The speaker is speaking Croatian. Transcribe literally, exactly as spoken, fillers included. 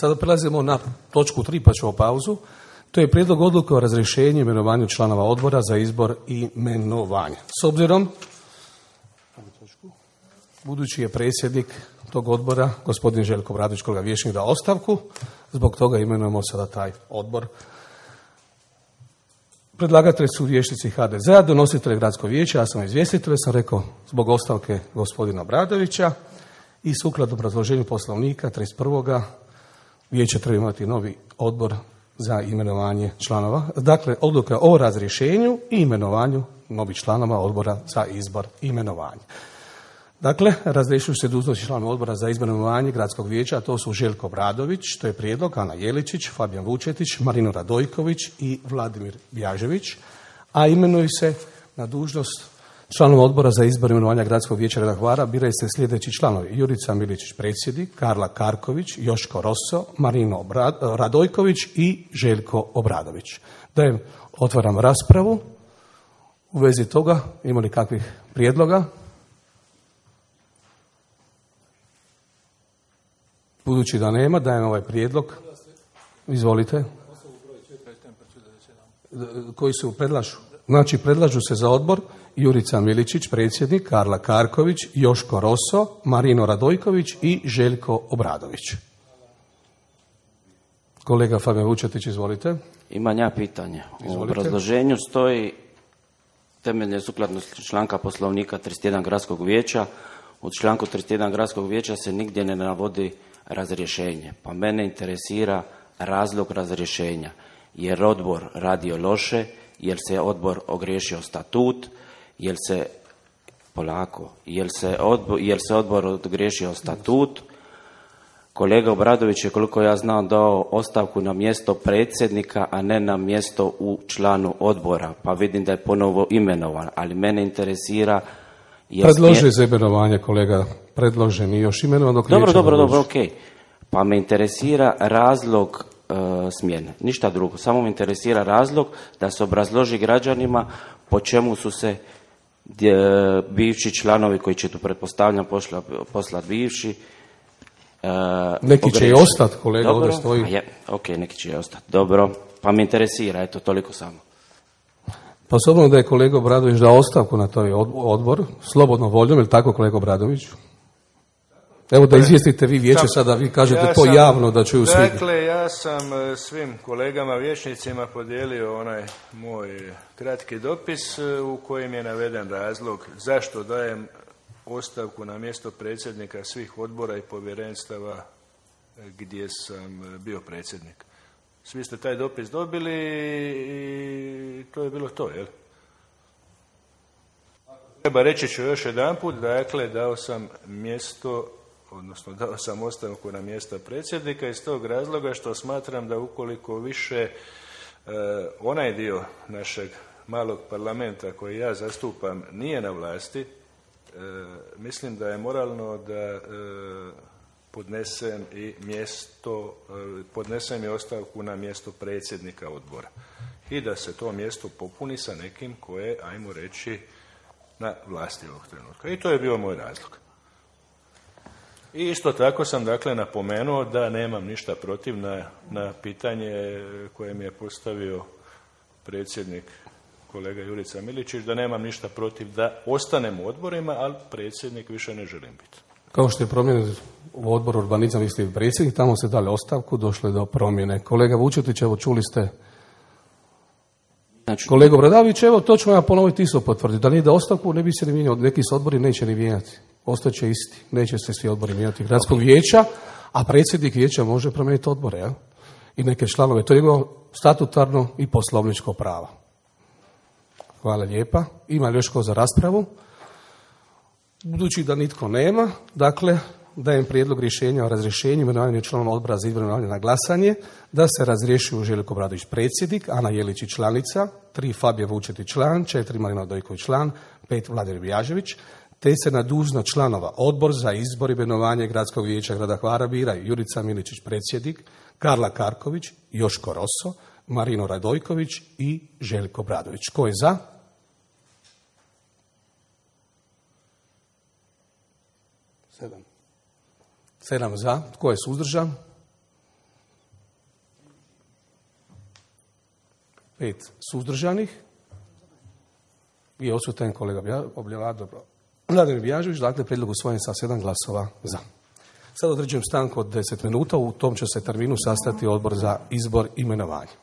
Sada prelazimo na točku tri, pa ćemo pauzu. To je prijedlog odluke o razrješenju i imenovanju članova odbora za izbor i imenovanje. S obzirom, budući je predsjednik tog odbora, gospodin Željko Obradović, kolega vijećnik, dao ostavku, zbog toga imenujemo sada taj odbor. Predlagatelji su vijećnici H D Z-a, donositelj gradskog vijeća, ja sam izvjestitelj, sam rekao zbog ostavke gospodina Obradovića i sukladno obrazloženju poslovnika trideset prvog vijeće treba imati novi odbor za imenovanje članova. Dakle, odluka o razrješenju i imenovanju novih članova odbora za izbor i imenovanje. Dakle, razrješuju se dužnosti članova odbora za izbor i imenovanje gradskog vijeća, a to su Željko Obradović, to je prijedlog, Ana Jeličić, Fabijan Vučetić, Marino Radojković i Vladimir Bjažević, a imenuju se na dužnost članova odbora za izbor i imenovanja gradskog vijeća grada Hvara biraju se sljedeći članovi: Jurica Miličić predsjednik, Karla Karković, Joško Rosso, Marino Radojković i Željko Obradović. Dajem, otvaram raspravu. U vezi toga ima li kakvih prijedloga? Budući da nema, dajem ovaj prijedlog. Izvolite. Koji su predlažu? Znači, predlažu se za odbor Jurica Miličić, predsjednik, Karla Karković, Joško Rosso, Marino Radojković i Željko Obradović. Kolega Fabijan Vučetić, izvolite. Imam ja pitanje. Izvolite. U obrazloženju stoji temelje sukladno članka poslovnika trideset jedan gradskog vijeća. U članku trideset jedan gradskog vijeća se nigdje ne navodi razrješenje. Pa mene interesira razlog razrješenja. Jer odbor radio loše, jer se odbor ogriješio statut, jer se polako, jer se odbor, jer se odbor ogriješio statut. Kolega Obradović je, koliko ja znam, dao ostavku na mjesto predsjednika, a ne na mjesto u članu odbora. Pa vidim da je ponovo imenovan, ali mene interesira... Predloži za imenovanje, kolega, predložen i još imenovan dok Dobro, dobro, dobro, okej. Okay. Pa me interesira razlog e, smjene. Ništa drugo. Samo me interesira razlog da se obrazloži građanima po čemu su se dje, bivši članovi, koji će tu pretpostavljam posla, poslat bivši, e, neki pogreši. će i ostati, kolega, dobro, ovdje stoji. Je, ok, neki će i ostati. Dobro, pa me interesira, eto, toliko samo. Pa s obzirom da je kolega Obradović dao ostavku na taj odbor, slobodno voljom, je li tako, kolega Obradović? Evo da izvijestite vi vijeće sada, vi kažete ja to sam, javno da čuju svi. Dakle, ja sam svim kolegama vijećnicima podijelio onaj moj kratki dopis u kojem je naveden razlog zašto dajem ostavku na mjesto predsjednika svih odbora i povjerenstava gdje sam bio predsjednik. Svi ste taj dopis dobili i to je bilo to, jel? Treba reći ću još jedanput, dakle, dao sam mjesto, odnosno dao sam ostavku na mjesto predsjednika iz tog razloga što smatram da ukoliko više e, onaj dio našeg malog parlamenta koji ja zastupam nije na vlasti, e, mislim da je moralno da e, podnesem i mjesto, podnesem i ostavku na mjesto predsjednika odbora. I da se to mjesto popuni sa nekim koje, ajmo reći, na vlasti ovog trenutka. I to je bio moj razlog. I isto tako sam, dakle, napomenuo da nemam ništa protiv na, na pitanje koje mi je postavio predsjednik kolega Jurica Miličić, da nemam ništa protiv da ostanem u odborima, ali predsjednik više ne želim biti. Kao što je promijenjen u odboru urbanizam, vi ste predsjednik, tamo se dali ostavku, došlo je do promjene. Kolega Vučetić, evo čuli ste. Znači, kolega Obradović, evo to ću ja ponoviti isto potvrditi. Da nije da ostavku, ne bi se ni mijenjao. Neki se odbori neće ni mijenjati. Ostaće isti. Neće se svi odbori mijenjati gradskog vijeća, a predsjednik vijeća može promijeniti odbore, ja? I neke članove. To je njegovo statutarno i poslovničko pravo. Hvala lijepa. Ima li još ko za raspravu? Budući da nitko nema, dakle, dajem prijedlog rješenja o razrješenju imenovanju članova odbora za izbor i imenovanje na glasanje, da se razrješuju Željko Obradović predsjednik, Ana Jelić članica, tri Fabijan Vučetić član, četiri Marino Radojković član, pet Vladimir Bjažević, te se na dužnost članova odbor za izbor i imenovanje gradskog vijeća grada Hvara biraju Jurica Miličić predsjednik, Karla Karković, Joško Rosso, Marino Radojković i Željko Obradović. Tko je za? Sedam. Sedam za. Tko je suzdržan? pet suzdržanih i odsutan kolega Vladimir Bjažević, dakle prijedlog usvojen sa sedam glasova za. Sad određujem stanku od deset minuta, u tom će se terminu sastati odbor za izbor i imenovanje.